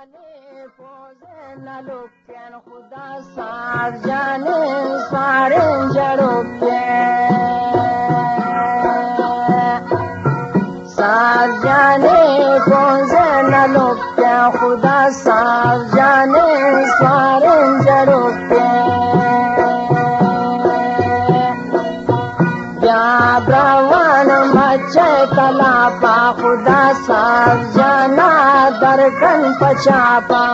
نہ لوٹیں خدا ساز جانیں ساریں جڑوکیں۔ ساز جانیں پونزے نہ لوٹیں خدا ساز جانیں ساریں جڑوکیں۔ بیا براوان مچے تلاپا خدا ساز جانا درکن پچاپا۔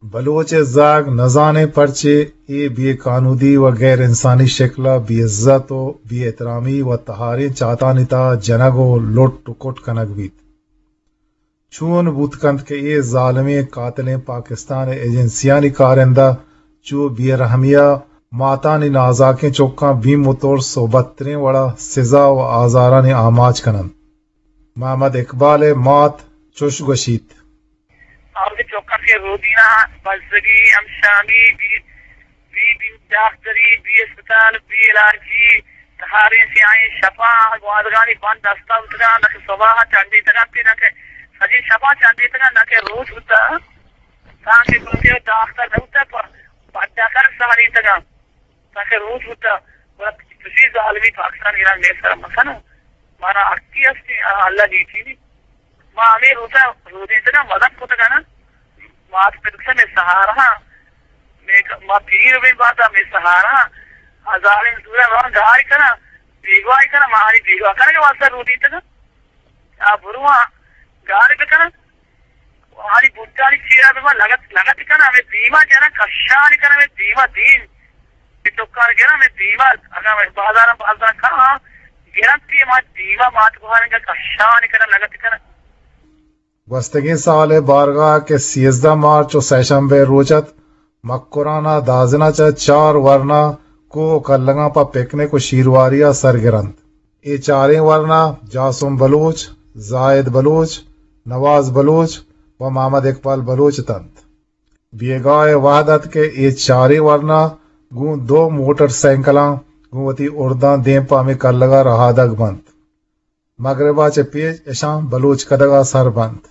بلوچ ءِ زاگ نزانیں پرچے اے بے کانودی و غیر انسانی شکل ءَ بے عزت و بے احترامی و تہاریں چاتانی تہا جنگ و لٹ و کٹ کنگ بیت۔ چون بوت کنت کہ اے ظالمیں قاتلیں پاکستان ءِ ایجنسیانی کارندہ چو بے رحمی ءَ ماتانی نازاکیں چکاں بیم و ترس و بدتریں وڑ ءَ سزا و آزارانی آماچ کن انت؟ محمد اقبال ءِ مات چش گوشیت۔ آ وتی چکاں کہ رودیناں بزگی، ہمشامی، بی، بی، بی ڈاکٹری، بی اسپتال، بی علاجی، تہاریں سیاہیں شپاں گوادگانی بند دستا بوتگاں، نہ کہ صباحاں چنڈیتگاں، نہ کہ سجیں شپاں چنڈیتگاں، نہ کہ روچ بوتا، تانکہ کسی ڈاکٹر نہ بوتا، پڈا کر سہریتگاں۔ تاکہ روچ بوتا، گڑا چشیں ظالمی پاکستان ایران مئے سرا مکنو۔ مارا حقی ہستی، آ، اللہ نیکی نی۔ ما ہمے روچا رودینتگاں، مدد کتگاں نا۔ مات پت گوشاں مئے سہارا، مئے ک-، ما پیر بین باتا مئے سہارا۔ ہزاریں زورا روان گار کناں، بیگواہ کناں، ما آنی بیگواہ کنگ واسطہ رودینتگاں۔ آ برواں گار بکناں۔ آنی بوٹانی چیرا بہ من لگت، لگت کناں، ہمے دیما جناں کشان کناں، ہمے دیما دیم۔ اے ٹکار گراں، ہمے دیما، اگاں ہمے بازاراں، بازاراں کاں، گرنتی ما دیما مات گوہارنگا کشان کناں، لگت کناں۔ گوستگیں سال ءِ بارگاہ کہ سیزدہ مارچ و سئے شنبہ ءِ روچ ات، مکران ءَ دازن ءَ چہ چار ورنا کوہ و کلگاں پہ پکنک و شیرواری ءَ سر گرنت۔ اے چاریں ورنا جاسم بلوچ، زاہد بلوچ، نواز بلوچ و محمد اقبال بلوچ اتنت۔ بیگاہ ءِ وہد ات کہ اے چاریں ورنا گوں دو موٹر سائیکلاں گوں وتی ارداں دیم پہ ہمے کلگ ءَ رہادگ بنت۔ مگرب ءَ چہ پیش اشاں بلوچ کدگ ءَ سر بنت۔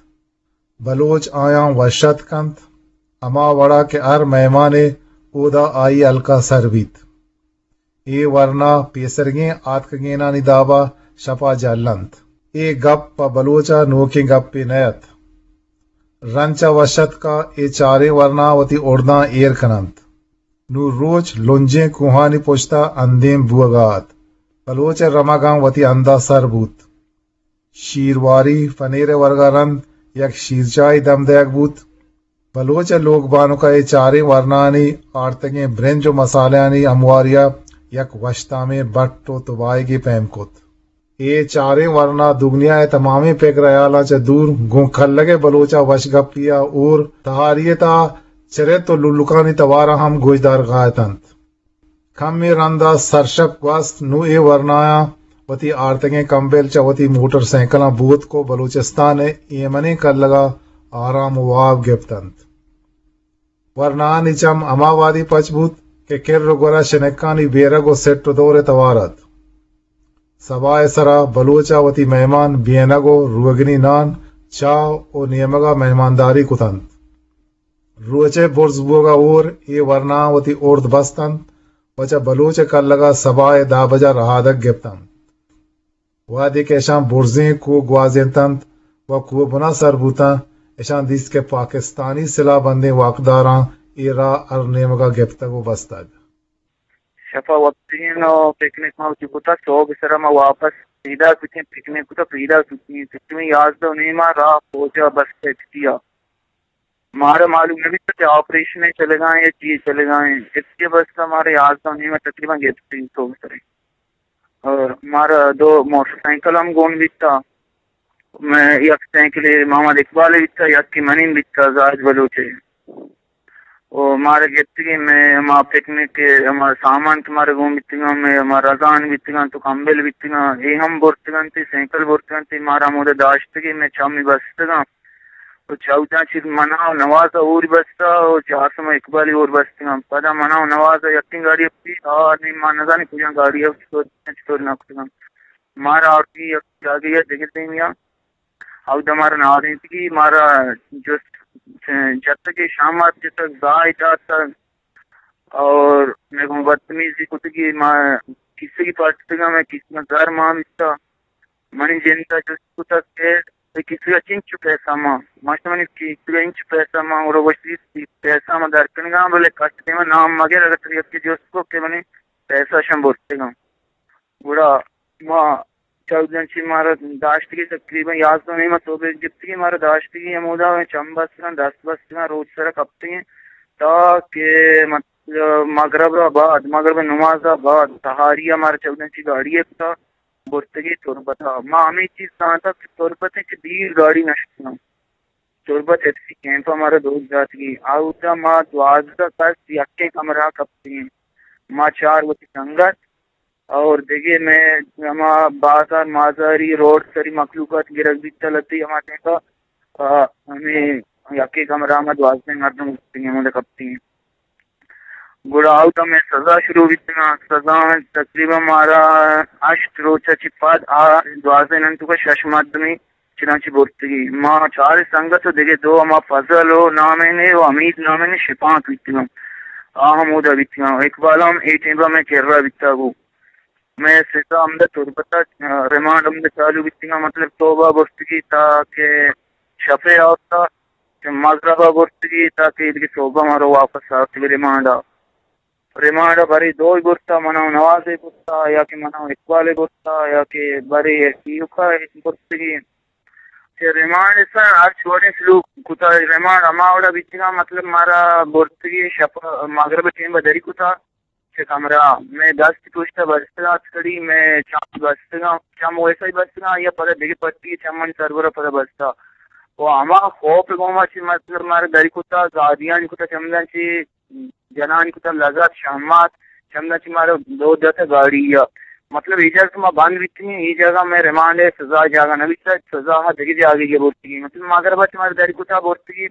بلوچ آیاں وش اتک کنت، ہما وڑا کہ ہر مہمانے اودا آئی ہلک ءَ سر بیت۔ اے ورنا پیسرگیں آتکگینانی دابا شپا جلنت۔ اے گپ پہ بلوچا نوکیں گپے نہ ات۔ رنچا وش اتکا اے چاریں ورنا وتی اڑداں ایر کننت۔ نوں روچ لنجیں کوہانی پشتا اندیم بوگا ات۔ بلوچ رمگاں وتی ہندا سر بوت۔ شیرواری پنیر ءِ ورگ ءَ رند یک شیرچاہے دم دئیگ بوت۔ بلوچ ءِ لوگ بانک ءَ اے چاریں ورنانی آرتگیں برنج ءُ مسالہانی ہمواری ءَ یک وشتامیں بٹ ءُ تباہگے پیم کت۔ اے چاریں ورنا دگنیا ءِ تمامیں پگر ہیالاں چہ دور گوں کلگ ءِ بلوچ ءَ وشگپی ءَ ہور تہاری ءِ تہا چرت ءُ للکانی توار ءَ ہم گوشدارگ ءَ اتنت۔ کمے رندا سرشپ گوست، نوں اے ورنایاں وتی آرتگیں کمبل چہ وتی موٹر سائیکلاں بوتک ءُ بلوچستان ءِ ایمنیں کلگا آرام ءُ واب گپتنت۔ ورنایانی چم ہما وہدی پچ بوت کہ کر ءُ گورا شنکانی بیرگ ءُ سٹ ءُ دور ءِ توار ات۔ سبا ءِ سرا بلوچ ءَ وتی مہمان بینگ ءُ روگنی نان، چاہ ءُ نیمگا مہمانداری کتنت۔ روچ ءِ برز بوگ ءَ ہور اے ورنایاں وتی ارد بست انت ءُ چہ بلوچ ءِ کلگ ءَ سبا ءِ دہ بج ءَ رہادگ گپت انت۔ وہدے کہ اشاں برزیں کوہ گوازینت انت ءُ کوہ بنا سر بوت انت، اشاں دیست کہ پاکستانی سلاہ بندیں واکداراں اے راہ ہر نیمگ ءَ گپتگ ءُ بستگ۔ شپا وپتگیں ءُ پکنک ما وتی کتا، سہب ءِ سرا ما واپس پیداک بیتیں، پکنک کتا پیداک بیتیں۔ تقریباً یازدہ ءُ نیم ءَ راہ پوجا بس ایف ٹی ءَ۔ مارا معلوم نہ بیت کہ آپریشن چلگا ایں یا چی چلگا ایں۔ ایف ٹی ءَ بس مارا یازدہ ءُ نیم ءَ تقریباً گپتیں سہب ءِ سرا۔ اور مارا دو موٹر سائیکل ہم گون بیتا۔ مئے یک سائیکلے محمد اقبال ءِ بیتا، یکے منی بیتا زاہد بلوچ ءِ۔ او مارا گپتگیں، مئے ہما پکنک ءِ ہما سامان کہ مارا گون بیتگاں، مئے ہما رزان بیتگاں، تو کمبل بیتگاں، اے ہم برتگنت، سائیکل برتگنت، مارا ہمودا داشتگیں، مئے چمی بستگاں۔ تو چوداں چہ من ءَ نواز ءَ ہور بستہ ءُ چارسما اقبال ءَ ہور بستگاں۔ پدا من ءَ نواز ءَ یکیں گاڑی ءَ پیش آ نی ما نزانی کجام گاڑی ءَ چطور، چطور نہ کتگاں۔ مارا آورتگی یک جاگہے ءَ دگہ دیمی ءَ۔ اودا مارا نادینتگی، مارا جست جتگ، شام ءَ جتگ، زاہ داتگ اور مئے گوں بدتمیزی کتگی۔ ما کیسگی پٹتگاں، مئے کیسگاں زر مان بیتہ۔ منی جند ءَ جست کتگ کہ اے کیسگ ءَ چنچو پیسہ مان؟ ما گوشت منی کیسگ ءَ انچو پیسہ مان، گڑا گوشتی پیسہ ما در کنگاں، بلے کٹ دیما نام مگر، اگر تئی یکے جست کو کہ منی پیسہ شم برتگاں۔ گڑا ما چوداں چہ مارا داشتگی، تقریباً یازدہ نیمہ سہب ءَ گپتگی، مارا داشتگی ہمودا چم بستگاں، دست بستگاں، روچ سرا کپتگیں تا کہ مطلب مغرب ءَ بعد، مغرب ءِ نماز ءَ بعد سہاری ءَ مارا چوداں چہ گاڑی ءَ کتا برتگی تربت ءَ۔ ما ہمے چیز زانتگ کہ تربت ءَ چہ دیر گاڑی نشتگاں۔ تربت ایف سی کیمپ ءَ مارا دوز داتگی۔ اودا ما دوازدہ کس یکیں کمرہ ءَ کپتگیں۔ ما چار وتی سنگت اور دگہ مئے ہما بازار مازاری روڈ سری مخلوقات گرگ بیتہ لتی ہما ٹائم ءَ، آ، ہمے یکے کمرہ ءَ ما دوازدہ مردم کپتگیں، ہمودا کپتگیں۔ گڑا اودا مئے سزا شروع بیتگاں۔ سزا تقریباً مارا ہشت روچ ءَ چہ پد آ دوازدہ نن توکا شش مردمے چنانچہ برتگی۔ ما چار سنگت ءُ دگہ دو ہما فضل ءُ نامیں ءُ حمید نامیں شپانک بیتگاں۔ آ ہمودا بیتگاں۔ اقبال ہم اے ٹائم ءَ مئے کرا بیتگ ءُ مئے سزا ہمدا تربت ءَ، آ، ریمانڈ ہمدا چالو بیتگاں، مطلب سہب ءَ برتگی تا کہ شپ ءَ آورتا، کہ مغرب ءَ برتگی تا کہ دگہ سہب ءَ مارا واپس آورتگی ریمانڈ ءَ۔ ریمانڈ ءَ برے دوئے برتا، من ءُ نواز ءَ برتا، یا کہ من ءُ اقبال ءَ برتا، یا کہ برے ایوکا برتگی۔ چہ ریمانڈ ءَ سر ہرچ وڑیں سلوک کتا، ریمانڈ ہما وڑا بیتگاں، مطلب مارا برتگی شپ مغرب ءِ ٹیم ءَ دری کتا۔ چہ کمرہ ءَ مئے دست پشت ءَ بستگ ات کڑی، مئے چم بستگاں، چم ویسا ہی بستگاں، یا پدا دگہ پٹی چمانی سربرا پدا بستا۔ و ہما خوف ءِ گوما چہ مطلب مارا دری کتا، گادیانی کتا چمداں چہ جنانی کتا لگت شہمات، چمداں چہ مارا دور داتا گاڑی ءَ۔ مطلب اے جاگہ کہ ما بند بیتگیں، اے جاگہ مئے ریمانڈ ءِ سزا ءِ جاگہ نہ بیتا، سزا ءَ دگہ جاگہے ءَ برتگیں۔ مطلب مغرب ءَ چہ مارا دری کتا برتگی،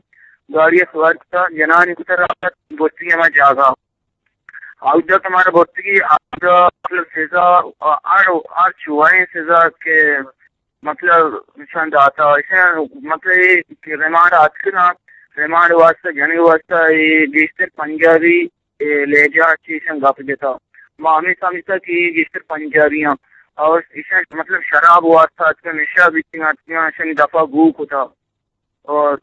گاڑی ءَ سوار کتا، جنانی کتا رابط برتگی ہما جاگہ۔ اودا کہ مارا برتگی، اودا مطلب سزا، ہر، ہر چوائیں سزا کہ مطلب ایشان داتا، ایشان مطلب اے کہ ریمانڈ ءَ اتکگاں، ریمانڈ واسطہ، جنگ واسطہ اے گیشتر پنجابی، اے لہجہ چہ ایشان گپ جتا۔ ما ہمے سمجھتا کہ اے گیشتر پنجابی آں اور ایشان مطلب شراب واسطہ اتکگاں، نشہ بیتگاں، اتکگاں، ایشانی دفا گو کتا۔ اور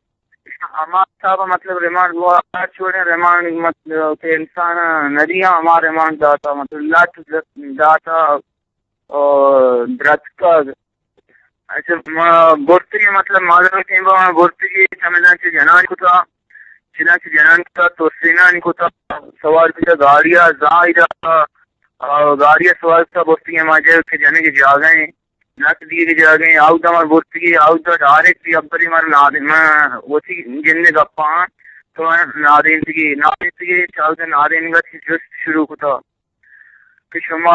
ہما حساب ءَ مطلب ریمانڈ، وہ ہر چوڑیں ریمانڈ مطلب کہ انسان ندیاں، ہما ریمانڈ داتا، مطلب لٹ داتا اور درتکگ۔ اچھا، ما برتگی مطلب مادر ٹیم ءَ ما برتگی چمداں چہ جنان کتا، چنان چہ جنان کتا، تو سینان کتا، سوار کتا گاڑی ءَ، زاہ داتا، اور گاڑی ءَ سوار کتا برتگی ہما جاگہ کہ جنگ جاگہ ہیں۔ نت دیگ جاگہ ہیں، آؤدا مار برتگی، آؤدا ڈائریکٹ بھی ابری مار نادین، ما وتی جند گپاں تو نادینتگی، نادینتگی، چاؤدا نادینگا چی جست شروع کتا کہ شما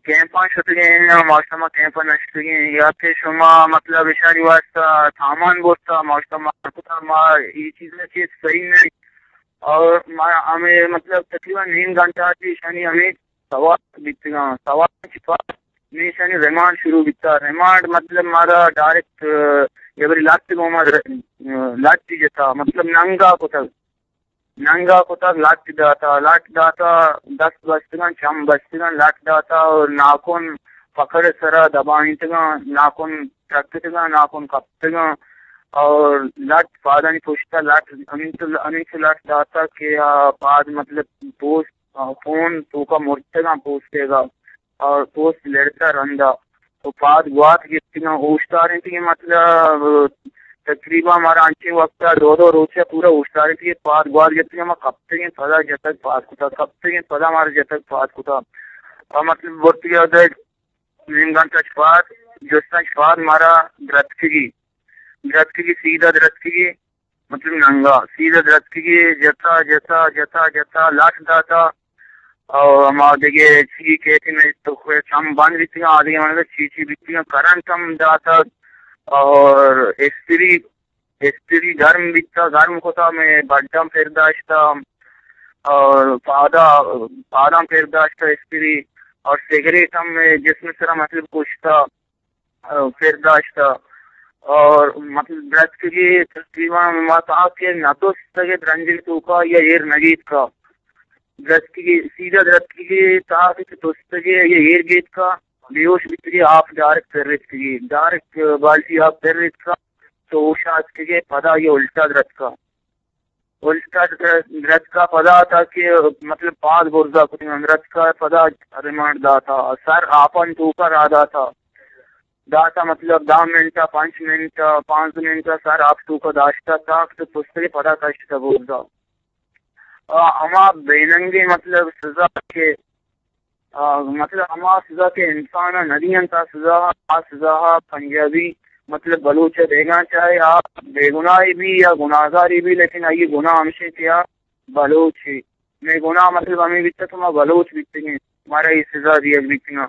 کیمپاں شتگیں یا ما شما کیمپاں نشتگیں، یا کہ شما مطلب اشانی واسطہ سامان برتا، ما شما کتا، ما یہ چیز چیز صحیح نہیں۔ اور ما ہمیں مطلب تقریباً نیم گھنٹہ تھی اشانی ہمیں سوات بیتگاں۔ سوات چہ پد نی ایشانی ریمانڈ شروع بیتا۔ ریمانڈ مطلب مارا ڈائریکٹ، اے، یبری لٹ گوما ر-، لٹ جتا، مطلب ننگا کتگ۔ ننگا کتگ، لٹ داتا، لٹ داتا، دست بستگاں، چم بستگاں، لٹ داتا اور ناکن پکڑ سرا دبائینتگاں، ناکن ترکتگاں، ناکن کپتگاں اور لٹ پادانی پشتا لٹ، ہمینچو، ہمینچو لٹ داتا کہ آ پاد مطلب پوست آ، پون توکا مرتگاں پوستے گا اور پوست لڑتا رندا۔ تو پاد گوات گپتگاں، اوشتارینتگیں مطلب تقریباً مارا انچیں وقتا دو دو روچے پورا اوشتارینتگیں، پاد گوات گپتگیں، ما کپتگیں پدا جتگ پاد کتا، کپتگیں پدا مارا جتگ پاد کتا۔ اور مطلب برتگی ادے نیم گھنٹہ چہ پاد، جستاں چہ پاد مارا درتکگی، درتکگی سیدھا درتکگی۔ مطلب ننگا سیدھا درتکگی، جتا، جتا، جتا، جتا، لٹ داتا۔ اور ہما دگہ چی کہتے ہیں تو چم بند بیتگاں، آدگہ مطلب چی چی بیتگاں، کرنٹ ہم داتا۔ اور استری استری گرم بیتا، گرم کتا، مئے بڈاں پر داشتا اور پادا، پاداں پر داشتا استری، اور سگریٹ ہم مئے جسم سرا مطلب کشتا، آ، پر داشتا۔ اور مطلب درتکگی تقریباً ما تاکہ نہ تستگے درنجے توکا یا ایر نگیتکا۔ درتکگی، سیدھا درتکگی تاکہ تستگے یا ایر گیتکا، بیہوش بیتگی، آپ ڈائریکٹ پر ریتکگی، ڈائریکٹ بالٹی آپ پر ریتکا، تو ہوش آتکگے، پدا یہ الٹا درتکا۔ الٹا در-، درتکا پدا تا کہ مطلب پاد برزا کتگاں، درتکا پدا ریمانڈ داتا، سر آپان توکا را داتا، داتا مطلب دہ منٹ، پنچ منٹ، پانزدہ منٹ سر آپ توکا داشتا تا کہ پستگے پدا کشتا برزا۔ آ، ہما بیننگیں مطلب سزا کہ آ، مطلب ہما سزا کہ انسان ء نہ دینت، آ سزا، آ سزا ء پنجابی مطلب بلوچ ء دیگاں چاہے آ بے گناہی بی یا گناہگاری بی، لیکن آئی گناہ ہمشیں کہ آ بلوچ ہے۔ مئے گناہ مطلب ہمیں بیتا کہ ما بلوچ بیتگیں، مارا یہ سزا دیگ بیتگاں۔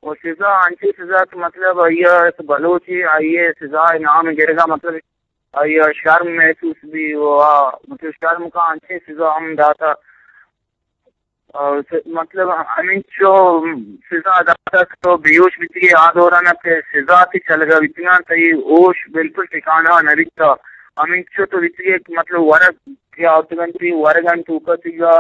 و سزا انچیں سزا کہ مطلب آئی ء بلوچ ہے، آئی ء سزا ء نام گرگا مطلب آئی ء شرم محسوس بی و آ مطلب شرم کا انچیں سزا ہم داتا۔ آ، س-، مطلب ہمینچو سزا داتگ تو بیہوش بیتگی، آ دوران ء کہ سزا تی چلگا بیتگاں، تئی ہوش بالکل ٹھکانہ ء نہ بیتا۔ ہمینچو تو بیتگی کہ مطلب ورگ کہ آتگنتی، ورگ انت توکا تیگا،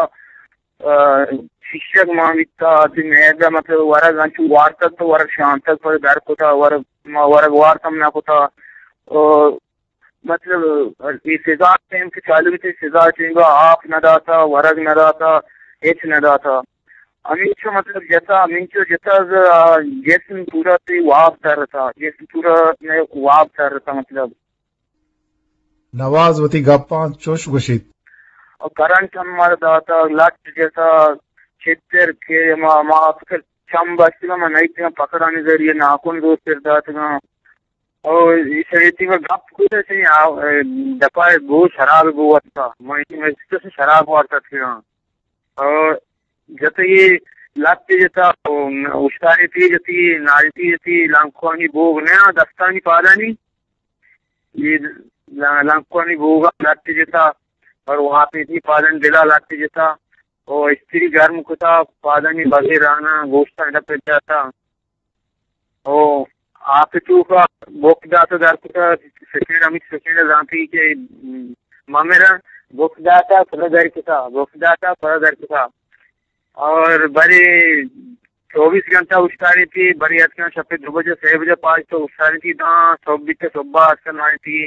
آ، شیشگ مان بیتا، تی میدہ مطلب ورگ انچو وارتگ تو ورگ شانتگ پر در کتا، ورگ، ما ورگ وارتم نہ کتا۔ آ، مطلب، اے سزا ٹائم کہ چالو بیت، سزا ٹائم آپ نہ داتا، ورگ نہ داتا، ہچ نہ داتا۔ ہمینچو مطلب جتا، ہمینچو جتا ز-، آ، جسم پورا تی واب ترتا، جسم پورا میں واب ترتا مطلب۔ نواز وتی گپاں چوش گوشیت۔ اور کرنٹ ہم مار داتا، لٹ جتا، چتر کہ ما، ما فکر چم بستگا، ما نئیتگا پکڑانی ذریعہ ناکن دوست پر داتگا۔ او ایشی ء تیما گپ کت، ایشی ء دپا گوش شراب بو ورتا، من ایشی ء گوشت شراب وارتا تھیاں۔ او جت یہ لت جتا، او اشتاری تی جتی، ناری تی جتی، لنکوانی بوگ نیا، دستانی پادانی، یہ لنکوانی بوگا لت جتا، اور وہاں پہ تھی پادن دلا لت جتا، او استری گرم کتا، پادانی بغیر آنا، گوشتا ڈپ جاتا۔ او آپ توکا بک داتا در کتا، سیکنڈ، ہمیں سیکنڈ زانتی کہ ممیرا بک داتا پدا در کتا، بک داتا پدا در کتا۔ اور بری چوبیس گھنٹہ اشتاری تھی، بری اتکن شپ دو بجے، سے بجے، پانچ تو اشتاری تھی، داں صبح بیتے، صبح اتکن آئی تھی،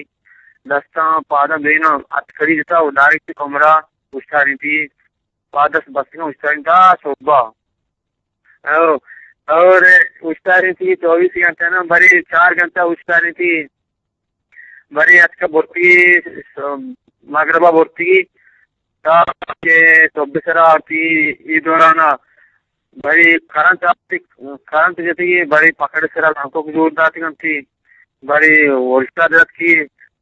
دستاں پاداں بینا ات کری جتا، و ڈائریکٹ کمرہ اشتاری تھی، پادس بستگاں اشتاری تھا صبح۔ او، اور اشتاری تھی چوبیس گھنٹہ نا، بری چار گھنٹہ اشتاری تھی، بری اتکا برتی، مغربا برتی، تا کہ صبح سرا آتی، ای دورانا، بری کرنٹ آتی، کرنٹ جتی، بری پکڑ سرا لنکوک زور داتی گنتی، بری الٹا درتکی،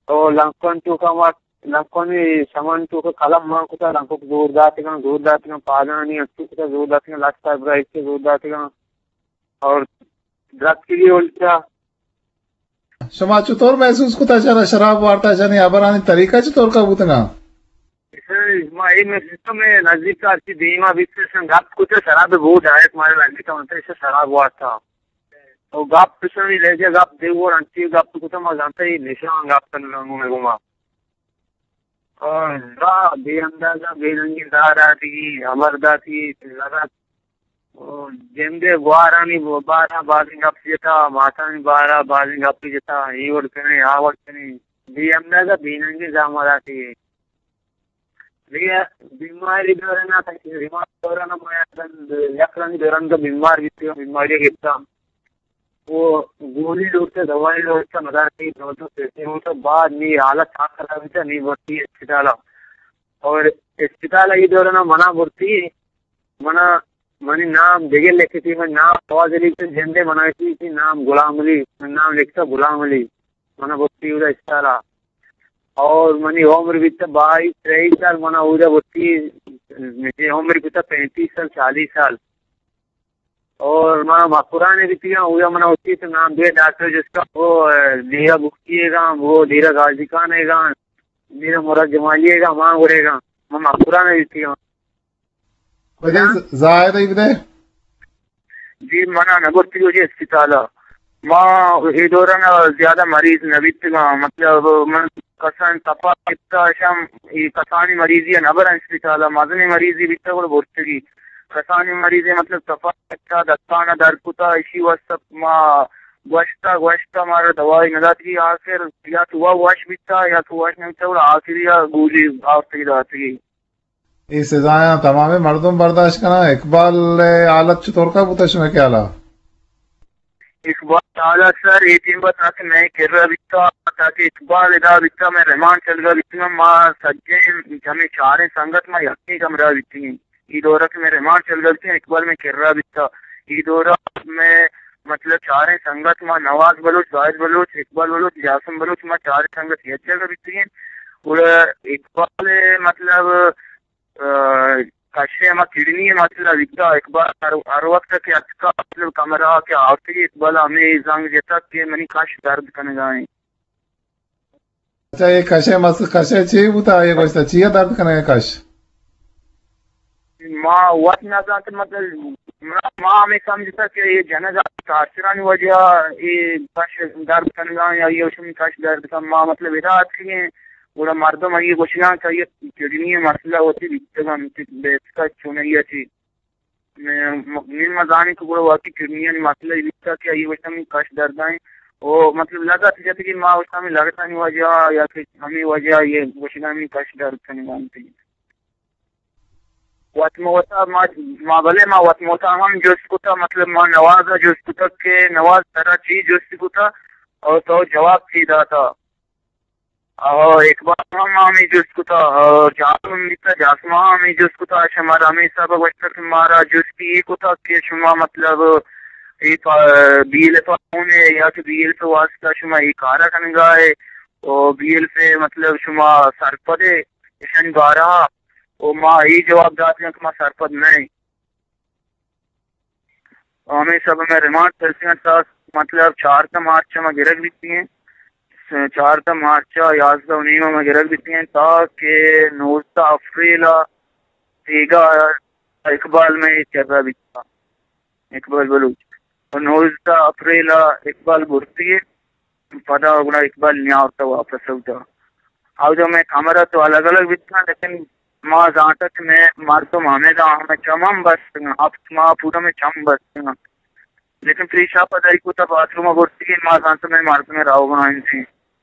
او لنکون توکا ما لنکونی شمن توکا قلم مان کتا، لنکوک زور داتگاں، زور داتگاں، پادانی انچو کتا زور داتگاں، لٹ صاحب را ایچ زور داتگاں اور درتکی بھی الٹا۔ شما چطور محسوس کتا؟ شرا شراب وارتا، شنی ہبرانی طریقہ چطور کا بوتگا؟ ما اے محسوس کتا، میں نزدیک کا اسی دیما بیت، شن گپ کتا، شراب بود آیت مارے نزدیک کا، انتے شراب وارتا۔ او گپ شنی لہجہ گپ دیور انتی گپ کتا، ما زانتا یہ نشان گپ کنگا میں گما۔ آ، زا بے اندازہ بے رنگی زا داتی، ہبر داتی، لگت۔ او، جندے گوارانی بارا بازیں گپ جتا، ماتانی بارا بازیں گپ جتا، ای وڑ کنے، آ وڑ کنے۔ بے اندازہ بے رنگی زا ما داتی۔ دیگہ بیماری دورنا تا کہ بیمار دورنا ما یک رنگ، یک رنگ دوران کا بیمار بیتی، بیماری گپتا۔ وہ گولی لوٹتا، دوائی لوٹتا، مدار کی دو دو سے سے ہوتا، بعد نی حالت آ خراب بیتا، نی بھرتی اسپتالا۔ اور اسپتالا یہ دورنا منا بھرتی، منا، منی نام دگہ لکھتی، من نام آواز علی سے جندے منا کی، نام غلام علی، من نام لکھتا غلام علی، منا بھرتی ہوتا اسپتالا۔ اور منی عمر بیتا بائیس، تریس سال، منا اودا بھرتی، منی عمر بیتا پینتیس سال، چالیس سال۔ اور من مکران بیتگاں، اویا من اسی تو نام دے ڈاکٹر جستا، وہ دیرہ بخشی گا، وہ دیرہ غازی خان گا، دیرہ مراد جمالی گا، مان گڑے گا، من مکران بیتگاں۔ بجے زاہد ای بدے؟ جی، منا نہ برتی جو جی اسپتالا۔ ما اے دوران زیادہ مریض نہ بیتگاں، مطلب من کسان تپا کتا شم، ای کسانی مریضی نہ برن اسپتالا، مزنی مریضی بیتا گڑ برتگی۔ کسانی مریضی مطلب تپا کتا، دستانا در کتا، اشی واسطہ ما گوشتا، گوشتا مارا دوائی نہ داتگی، آخر یا تو وا وش بیتا یا تو وش نہ بیتا، گڑا آخری گولی آورتگی داتگی۔ اے سزایاں تمامیں مردم برداشت کناں۔ اقبال ءِ حالت چطور کا بوتا شمئے خیالا؟ اقبال حالت سر اے ٹیم ءَ تاکہ مئے کرا بیتا، تاکہ اقبال ادا بیتا، مئے رمان چلگا بیتا، ما سجیں ہمیں چاریں سنگت ما یکیں کمرہ بیتیں۔ اے دورہ کہ مئے رمان چلگا بیتیں، اقبال مئے کرا بیتا۔ اے دورہ مئے مطلب چاریں سنگت ما نواز بلوچ، زاہد بلوچ، اقبال بلوچ، جاسم بلوچ، ما چاریں سنگت یک جگہ بیتیں۔ گڑا اقبال مطلب ءَ، کش ءِ ہما کڈنی ءِ مسئلہ بیتا۔ اقبال ہر، ہر وقت کہ اتکا مطلب کمرہ کہ آورتگی، اقبال ہمے زنگ جتا کہ منی کش درد کنگا ایں۔ اچھا، اے کش ءِ مس-، کش ءِ چی بوتا؟ اے گوشتا چیا درد کنگا کش؟ ما وت نہ زانت، مطلب ما، ما ہمے سمجھتا کہ اے جنگ ءَ ٹارچرانی وجہ ءَ اے کش درد کنگا یا اے شمی کش درد کن۔ ما مطلب ادا اتکگیں، گڑا مردم آئی ءَ گوشگاں کہ آئی ءِ کڈنی ءِ مسئلہ وتی بیتگ انت، بیسکا چونائی ءَ چی۔ نی ما زانیں کہ گڑا واقعی کڈنیانی مسئلہ بیتگ کہ آئی ءَ گوشتگ منی کش درد ءَ ایں۔ او مطلب لگت جتگی، ما گوشتگ ہمے لگتانی وجہ ءَ یا کہ ہمے وجہ ءَ آئی ءَ گوشگا منی کش درد کنگا انت۔ وت مہ وتا ما، ما بلے ما وت مہ وتا ہم جست کتا، مطلب ما نواز ءَ جست کتا کہ نواز ترا چی جست کتا اور تو جواب چی داتا؟ او اقبال ہم ہمے جست کتا، او جاسم بیتا، جاسم ہم ہمے جست کتا، شمارا ہمے حساب ءَ گوشتگ کہ مارا جست اے کتا کہ شما مطلب اے پا-، بی ایل ایف ءَ گون ئے یا کہ بی ایل ایف ءِ واسطہ شما اے کارا کنگا ئے، او بی ایل ایف ءِ مطلب شما سرپد ئے اشانی بارہ ءَ؟ او ما اے جواب داتگ کہ ما سرپد نہ ایں۔ ہمے سبب ءَ مئے ریمانڈ ترسیاں تا مطلب چاردہ مارچ ءَ ما گرگ بیتیں، چاردہ مارچ ءَ یازدہ و نیم ءَ ما گرگ بیتیں تا کہ نوزدہ اپریل ءَ بیگاہ اقبال مئے کرا بیتا، اقبال بلوچ۔ و نوزدہ اپریل ءَ اقبال برتگی۔ پدا گڑا اقبال نیاورتا واپس اودا۔ اودا مئے کمرہ تو الگ الگ بیتگاں، لیکن ما زانتا کہ مئے مردم ہمیدا، ہمے چم ہم بستگاں، ہفت ماہ پورا مئے چم بستگاں۔ لیکن پیشاپ ءَ دری کتا، باتھ روم ءَ برتگی، ما زانتا مئے مردم روگا انت۔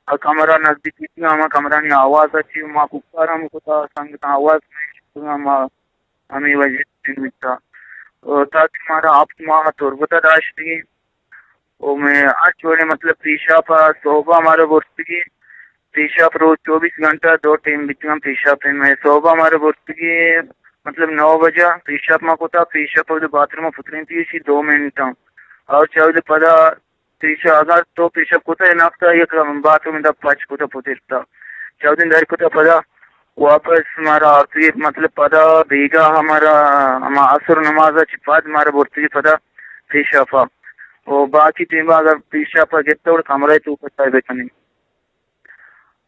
آ کمرہ نزدیک بیتگاں، ہما کمرانی آواز ءَ چی ما کوکار ہم کتا، سنگتاں آواز مئے شتگاں، ما ہمے وجہ ءَ بیتا۔ او تاکہ مارا ہفت ماہ تربت ءَ داشتگی۔ او مئے ہرچ وڑیں مطلب پیشاپ ءَ سہب ءَ مارا برتگی۔ پیشاپ روچ چوبیس گھنٹہ دو ٹیم بیتگاں پیشاپ ءِ۔ مئے سہب ءَ مارا برتگی مطلب نو بجہ پیشاپ ما کتا، پیشاپ ءَ باتھ روم ءَ پترینتی ایشی دو منٹ ءَ۔ اور چہ اود پدا پیشا-، اگر تو پیشاپ کتا، اے نفتا یک باتھ روم دا پچ کتا پترتا۔ چودیں در کتا پدا واپس مارا آرتگی، مطلب پدا بیگاہ مارا ہما عصر نماز ءَ چہ پد مارا برتگی پدا پیشاپا۔ و باقی ٹیم اگر پیشاپا گپتا گڑا کمرہ ءِ توکا چاہ بکنی۔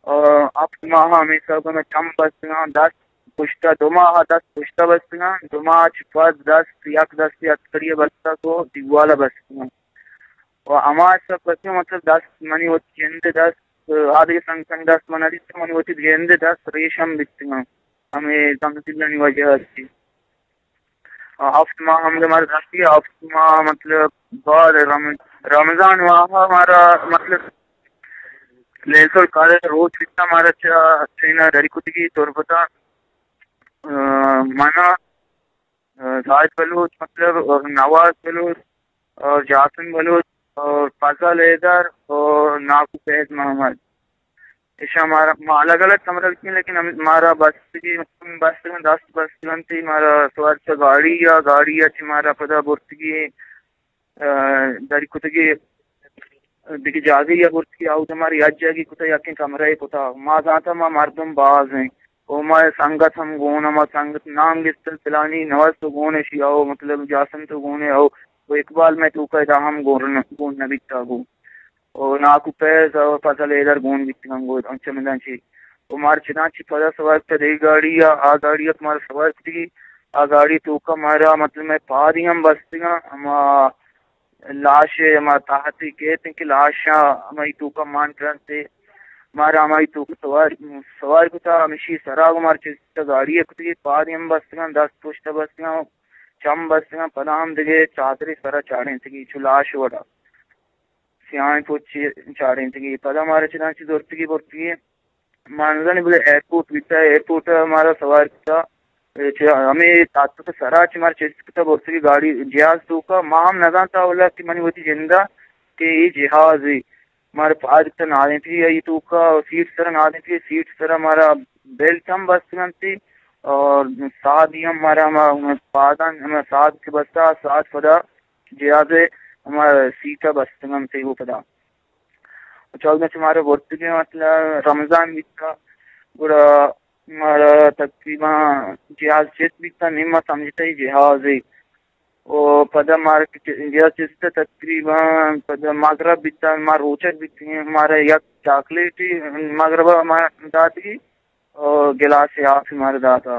آ، ہفت ماہ ہمے حساب ءَ چم بستگاں، دست پشتا، دو ماہ دست پشتا بستگاں، دو ماہ چہ پد دست، یک دست یک کڑی بستگ و دیوال بستگاں۔ و ہما حساب بستگاں، مطلب دست منی وتی جند دست، آ دگہ سنگ سنگ دست من ندیست، منی وتی جند دست ریشم بیتگاں، ہمے زنگدلانی وجہ ءَ۔ ہفت ماہ ہمدا مارا داشتی، ہفت ماہ مطلب بعد رم-، رمضان ماہ مارا مطلب لیلۃ القدر روچ بیتا، مارا چہ ٹرین ءَ دری کتگی تربت ءَ، آ، منا، آ، زاہد بلوچ مطلب اور نواز بلوچ اور جاسم بلوچ اور فضل حیدر اور ناکو فیض محمد۔ ایشاں مارا، ما الگ الگ کمرہ بیتیں، لیکن ہم، مارا بستگی، بستگاں دست بستگاں تئی مارا سوار چہ گاڑی یا گاڑی یا چہ مارا پدا برتگی، آ، دری کتگی دگہ جاگہے یا برتگی، آودا مارا یک جاگہے کتا، یکیں کمرہ کتا۔ ما زانتا ما مردم باز ایں۔ او ما سنگت ہم گون، ما سنگت نام گستل پلانی نواز تو گون ہے، شی او مطلب جاسم تو گون ہے، او و اقبال مئے توکا ادا ہم گون، گون نہ بیتا گو۔ و ناکو فیض و فضل حیدر گون بیتگاں گو، انچو مدان چی۔ و مار چدان چی پدا سوار کتا دگہ گاڑی یا، آ گاڑی ات مار سوار کتگی، آ گاڑی توکا مارا مطلب مئے پادی ہم بستگاں، ہما لاش ہما تاہتی کیت کہ لاشاں ہمائی توکا مان کنتے۔ مارا ہمائی توکا سوار، سوار کتا، ہمشی سرا گو مار چستا گاڑی کتگی، پادی ہم بستگاں، دست پشتا بستگاں، چم بستگاں، پدا ہم دگہ چادرے سرا چاڑینتگی، چو لاش وڑا سیاہیں پوچی چاڑینتگی۔ پدا مارا چدان چی زرتگی برتگی، ما نزانی بلے ایئرپورٹ بیتا، ایئرپورٹ مارا سوار کتا، چہ ہمے تاتک سرا چہ مارا چست کتا برتگی گاڑی جہاز توکا۔ ما ہم نزانتا اولا کہ منی وتی جندا کہ اے جہازے۔ مارا پاد کتا نادینتگی آئی توکا، سیٹ سرا نادینتگی، سیٹ سرا مارا بیلٹ ہم بستگنتی اور سادی ہم مارا ہما پادان ہما ساد کہ بستا، ساد پدا جہاز ہما سیٹا بستگنتی و پدا چودہ چہ مارا برتگیں، مطلب رمضان بیتا، گڑا مارا تقریباً جہاز چست بیتا، نیم ما سمجھتا ہی جہازے۔ و پدا مارا کہ جہاز چست تقریباً پدا مغرب بیتا، ما روچگ بیتگیں، مارا یک چاکلیٹی مغرب ما داتگی، و گلاس آپ مارا داتا۔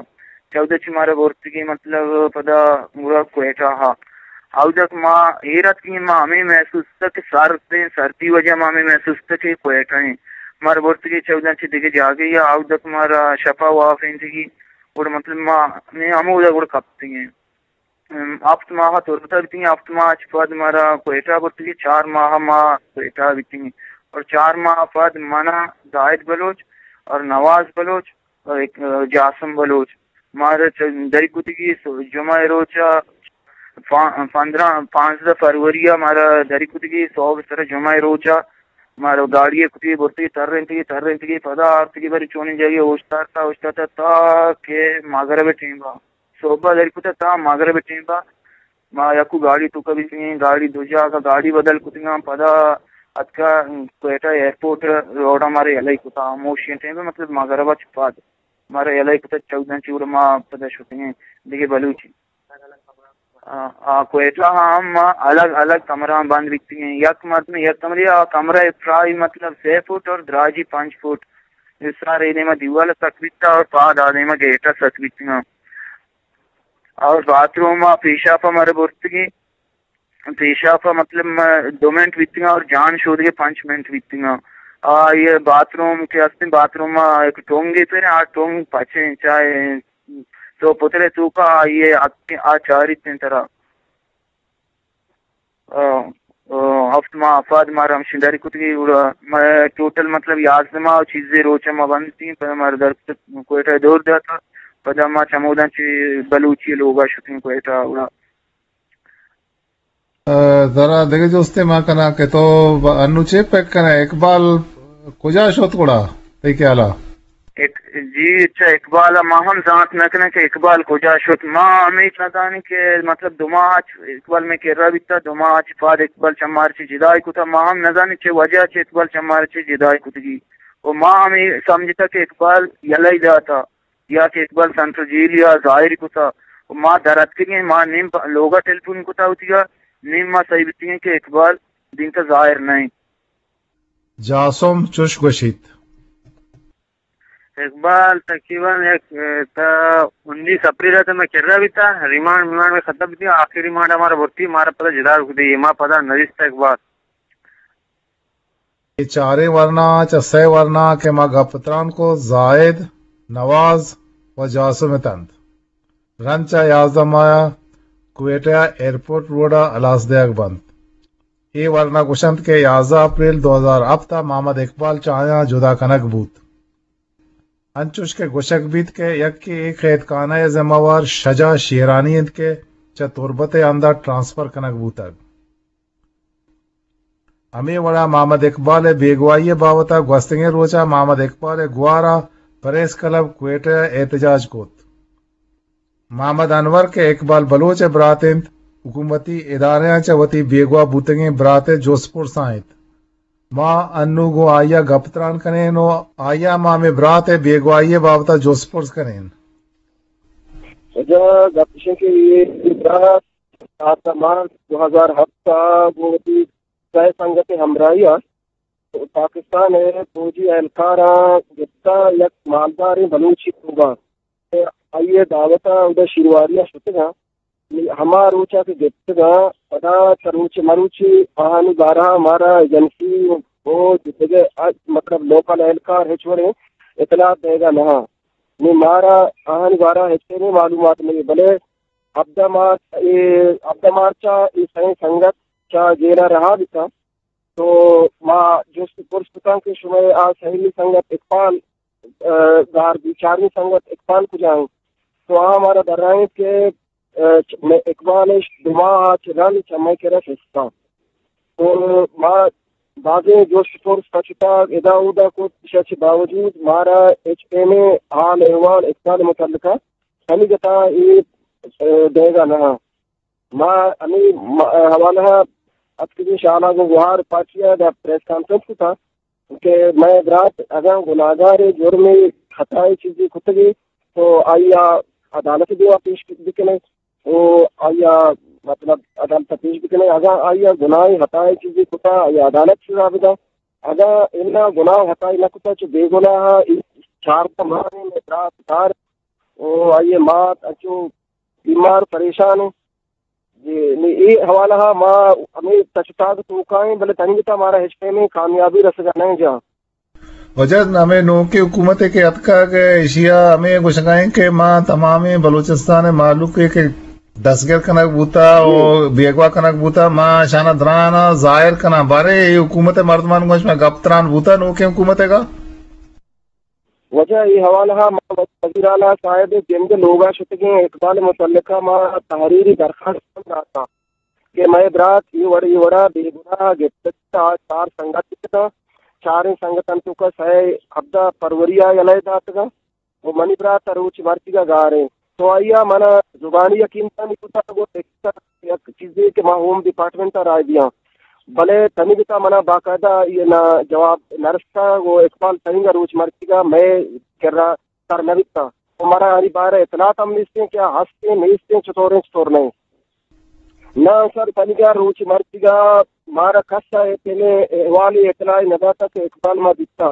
چودہ چہ مارا برتگی، مطلب پدا گڑا کوئٹہ ہا۔ اودک ما ایر اتکیں، ما ہمے محسوس کتا کہ سرد ایں، سردی وجہ ما ہمے محسوس کتا کہ کوئٹہ ایں۔ مارا برتگی چودہ چہ دگہ جاگہے یا، اودک مارا شپا وافینتگی، گڑا مطلب ما ہمے ہمودا گڑا کپتگیں۔ ام، ہفت ماہ تربتا بیتگیں، ہفت ماہ چہ پد مارا کوئٹہ برتگی، چار ماہ ما کوئٹہ بیتگیں۔ اور چار ماہ پد منا زاہد بلوچ اور نواز بلوچ اور ایک، جاسم بلوچ مارا چ-، دری کتگی سو-، جمعہ روچا پا-، پندرہ، پانزدہ فروری مارا دری کتگی سوب سر جمعہ روچا مارا گاڑی کتگی برتگی ترینتگی، ترینتگی پدا آرتگی بری چونیں جاگہے اوشتارتا، اوشتارتا تا کہ مغرب ٹیمبا۔ صبح دری کتا تا مغرب ٹیمبا ما یکو گاڑی توکا بیتگیں، گاڑی دو جاگہ گاڑی بدل کتگاں، پدا اتکا کوئٹہ ایئرپورٹ روڈا مارا یلہ کتا، ہموشی ٹیم مطلب مغرب چہ پد مارا یلہ کتا چودہ چی گڑا ما پدا شتگیں دگہ بلوچی۔ آ، آ، کوئٹہ ہم ما الگ الگ کمرہ بند بیتگیں، یک مردم یک کمرے، آ کمرہ پرائی مطلب سے فٹ اور دراجی پنچ فٹ، سارے دیما دیوال سک بیتا اور پاد آ دیما گیٹا سک بیتگاں۔ اور باتھ روم ء پیشاپ ء مارا برتگی، پیشاپ ء مطلب ما دو منٹ بیتگاں اور جان شودگے پنچ منٹ بیتگاں۔ آ یہ باتھ روم کہ ہستیں، باتھ روم ء ایک ٹونگے پر آ ٹونگ پچیں چاہے تو پترے توکا آ یہ آ چاریت ترا۔ آ، آ، ہفت ماہ پد مارا ہمشی دری کتگی، گڑا ما ٹوٹل مطلب یازدہ ماہ و چیزے روچ ما بند تیں، پدا مارا در کوئٹہ دور داتا، پدا ما چموداں چہ بلوچی لوگا شتیں کوئٹہ گڑا۔ آ، ترا دگہ جستے ما کناں کہ تو ب-، انو چے پک کنئے، اقبال کجا شت گڑا تئی خیالا؟ اق-، جی، اچھا، اقبال ء ما ہم زانت نہ کنیں کہ اقبال کجا شت۔ ما ہمیش نہ زانیں کہ مطلب دو ماہ چ-، اقبال میں کرا بیتا، دو ماہ چ پاد اقبال چمار چہ جدائی کتا۔ ما ہم نہ زانیں چہ وجہ چہ اقبال چمار چہ جدائی کتگی۔ و ما ہمیں سمجھتا کہ اقبال یلہ داتا یا کہ اقبال سینٹرل جیل یا ظاہر کتا۔ و ما در اتکگیں، ما نیم پ-، لوگا ٹیلیفون کتا ہوتیگا، نیم ما صحیح بیتگیں کہ اقبال دینتا ظاہر نہیں۔ جاسم چوش گوشیت۔ اقبال تقریباً یک، اه، تا انیس اپریل ء تو میں کرا بیتا، ریمانڈ میمانڈ میں ختم بیتی، آخری ریمانڈ ہمارا برتی، ہمارا پدا جدا رک دی، ما پدا نویستا اقبال۔ اے چاریں ورنا چہ سئے ورنا کہ ما گپ تران کو، زاہد، نواز و جاسم اتنت۔ رند چہ یازدہ ماہ ء کوئٹہ ء ایئرپورٹ روڈ ء ہلاس دیگ بنت۔ اے ورنا گوشنت کہ یازدہ اپریل دو ہزار ہپت ء محمد اقبال چہ آیاں جدا کنگ بوت۔ انچوش کہ گوشگ بیت کہ یکے اے قید خانہ ء ذمہ وار شجاع شیرانی انت کہ چہ تربت ء اندر ٹرانسفر کنگ بوتگ۔ ہمے وڑا محمد اقبال ء بیگواہی ء بابت ء گوستگیں روچ ء محمد اقبال ء گوار ء پریس کلب کوئٹہ ء احتجاج کت۔ محمد انور کہ اقبال بلوچ ء برات انت، حکومتی ادارہاں چہ وتی بیگواہ بوتگیں برات ء جست پرس ء انت۔ ما انو گوں آئی ء گپ تران کنین و آئی ء ما ہمے برات ء بیگواہی ء بابت ء جست پرس کنین۔ واجہ، گپ اش انت کہ اے برات چاردہ مارچ دو ہزار ہفت ءَ گوں وتی سئے سنگت ءِ ہمراہی ءَ پاکستان ءِ فوجی اہلکاراں گپتہ، یک مالداریں بلوچی لوگ ءَ، آئی ءِ دعوت ءَ اودا شیرواری ءَ شتگاں۔ ہما روچ ءَ کہ گپتگاں، پدا چہ روچ مروچی آہانی بارہ ءَ مارا ایجنسی ءُ دگہ، مطلب، لوکل اہلکار ہچ وڑیں اطلاعات دئیگ ءَ نہ آں۔ نی مارا آہانی بارہ ءَ ہچ پیمیں معلومات نہ، بلے ہبدہ مارچ، اے ہبدہ مارچ ءَ اے سئیں سنگت چہ جیل ءَ رہا بیتاں۔ تو ما جست ءُ پرس کتاں کہ شمئے آ سیمی سنگت اقبال، ءَ، گار بی، چارمی سنگت اقبال کجا انت؟ تو آ مارا درائینت کہ، ءَ، چ-، مئے اقبال اش دو ماہ ءَ چہ رند چہ مئے کرا شستہ۔ تو ما بازیں جست ءُ پرس پچ اتاگ ادا اودا کت، ایشی ءَ چہ باوجود مارا ہچ پیمیں حال احوال اقبال ءِ متعلقہ تنیگتا اے، ءَ، دئیگا نہ آں۔ ما ہمے م-، حوالہ ءَ اتکگیں شالاں گوں گوہار پارٹی ءَ دا پریس کانفرنس کتا کہ مئے برات اگاں گناہگارے، جرمے، خطائے چیزے کتگے تو آئی ءَ عدالت ءِ دیما پیش بکنیں، او آئی ءَ، مطلب، عدالت ءَ پیش بکنیں۔ اگاں آئی ءَ گناہے، خطائے چیزے کتا، آئی ءَ عدالت سزا بداں۔ اگاں انا گناہ خطائے نہ کتا، چو بے گناہ ءَ اے چاردہ ماہ ءَ مئے برات دار او آئی ءِ مات انچو بیمار پریشان ایں۔ جی، نی اے حوالہ ءَ ما ہمے تچ ءُ تاگ ءِ توکا ایں، بلے تنیگتا مارا ہچ پیمیں کامیابی رسگا نہ ایں جان۔ واجہ، ہمے نوکیں حکومت ءَ کہ اتکگ، ایشی ءَ ہمے گوشگا ایں کہ ما تمامیں بلوچستان ءِ مہلوک ءَ کہ دستگیر کنگ بوتا ءُ جی۔ بیگواہ کنگ بوتا، ما اشاناں دراناں ظاہر کناں۔ باریں اے حکومت ءِ مردمان گوں شما گپ تران بوتا نوکیں حکومت ءَ گا؟ واجہ، اے حوالہ ءَ ما وزیر اعلیٰ صاحب ءِ جند ءِ لوگ ءَ شتگیں، اقبال ءِ متعلقہ ما تحریری درخواست ہم داتاں کہ مئے برات اے وڑ اے وڑا بے گناہ گپتگ، آ چار سنگت اتاں، چاریں سنگتاں توکا سئے ہبدہ فروری ءَ یلہ داتگاں ءُ منی برات ءَ روچ مرچیگا گار ایں۔ تو آئی ءَ منا زبانی یقین دہانی کتگ ءُ یک چیزے کہ ما ہوم ڈپارٹمنٹ ءَ رائے دیاں، بلے تنیگتا منا باقاعدہ اے نا جواب نہ رستہ ءُ اقبال تنیگا روچ مرچیگا مئے کرا سر نہ بیتہ ءُ مارا آنی بارہ ءَ اطلاعات ہم نیستیں کہ آ ہستیں نیستیں، چطوریں چطور نہ ایں۔ نہ سر، تنیگا روچ مرچیگا مارا کس ءَ اے پیمیں احوالے اطلاعے نہ داتہ کہ اقبال ما بیتہ۔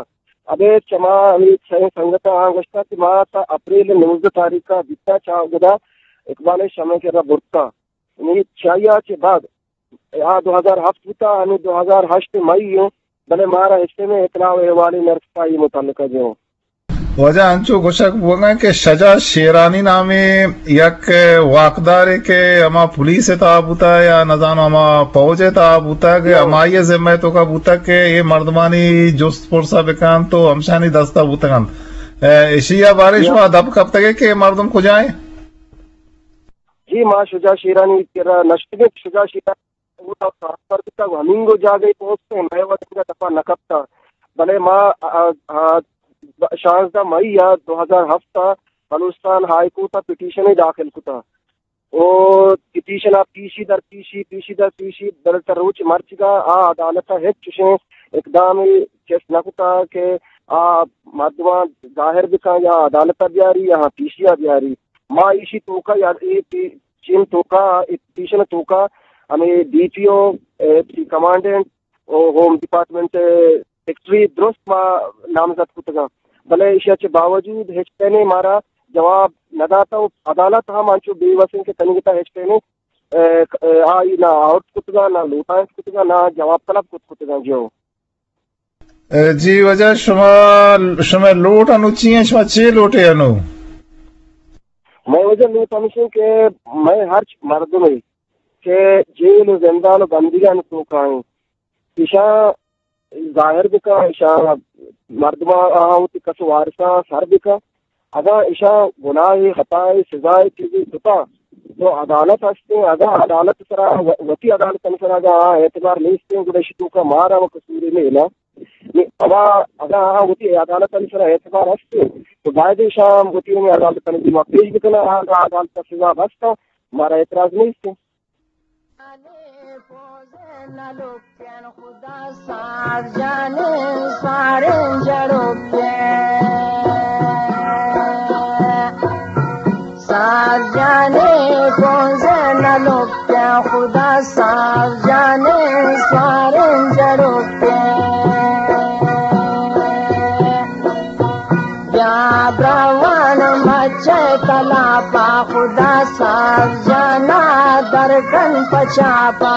ابید چہ ما ہمے سئیں سنگتاں آں گوشتہ کہ ما تا اپریل ءِ نوزدہ تاریخ ءَ بیتہ، چہ گدا اقبال ءَ شمئے کرا برتہ۔ نی چہ آئی ءَ چہ بعد آ دو ہزار ہفت بوتا، ہمے دو ہزار ہشت مئی ایں، بلے مارا ہچ پیمیں اطلاع ءُ احوالے نہ رستہ اے متعلقہ جو۔ واجہ، انچو گوشگ بوگا کہ شجاع شیرانی نامیں یک واکدارے کہ ہما پولیس ءِ تہا بوتا یا نزانو ہما پوج ءِ تہا بوتا کہ ہمائی ءِ ذمہ ءِ توکا بوتا کہ اے مردمانی جست پرسا بکن تو ہمشانی دستا بوتگنت۔ اشی ءِ بارے شما دپ کپتگے کہ اے مردم کجا ایں؟ جی، ما شجاع شیرانی کرا نشتگیں۔ شجاع شیرانی اودا ٹرانسفر بیتگ، ہمینگو جاگہے پوسٹ ایں، مئے وت انگا دپا نہ کپتہ۔ بلے ما، آ، آ، شانزدہ مئی ءَ دو ہزار ہفت ءَ بلوچستان ہائی کورٹ ءَ پٹیشنے داخل کتہ۔ او پٹیشن ءَ پیشی در پیشی، پیشی در پیشی، بلے تا روچ مرچیگا آ عدالت ءَ ہچ چشیں اقدامے چست نہ کتہ کہ آ مردماں ظاہر بکن یا عدالت ءَ بیاری یا پیشی ءَ بیاری۔ ما ایشی توکا یا اے پی-، چین توکا، اے پٹیشن توکا ہمے ڈی پی او، اے پی کمانڈنٹ او ہوم ڈپارٹمنٹ سیکرٹری درست ما نامزد کتگاں، بلے ایشی ءَ چہ باوجود ہچ پیمیں مارا جواب نہ داتہ و عدالت ہم انچو بے وس انت کہ تنیگتا ہچ پیمیں، اے، آئی نہ آؤٹ کتگاں، نہ لوٹائینت کتگاں، نہ جواب طلب کت کتگاں۔ جو۔ اے، جی واجہ، شما، شما لوٹ انو چی ہیں؟ شما چے لوٹے انو؟ مئے واجہ لوٹ ہمیش انت کہ مئے ہرچ مردمے کہ جیل و زندان و بندیگان توکا انت، ایشاں ظاہر بکن، ایشاں مردماں آہاں وتی کس و وارثاں سر بکن۔ اگاں ایشاں گناہے، خطائے، سزائے چیزے کتا تو عدالت ہستیں، اگاں عدالت سرا و-، وتی عدالتانی سرا اگاں آہاں اعتبار نیستیں گڑا ایشی توکا مارا و قصوری نیلا۔ نی ہما اگاں آہاں وتی عدالتانی سرا اعتبار ہستیں تو باید ایشاں وتی ہمے عدالتانی دیما پیش بکناں، آہاں عدالت سزا بستاں، مارا اعتراض نیستیں۔ خدا صاحب جانے سواریں جڑوکے، بیا براوان مچے تلاپا، خدا صاحب جانا درکن پچاپا۔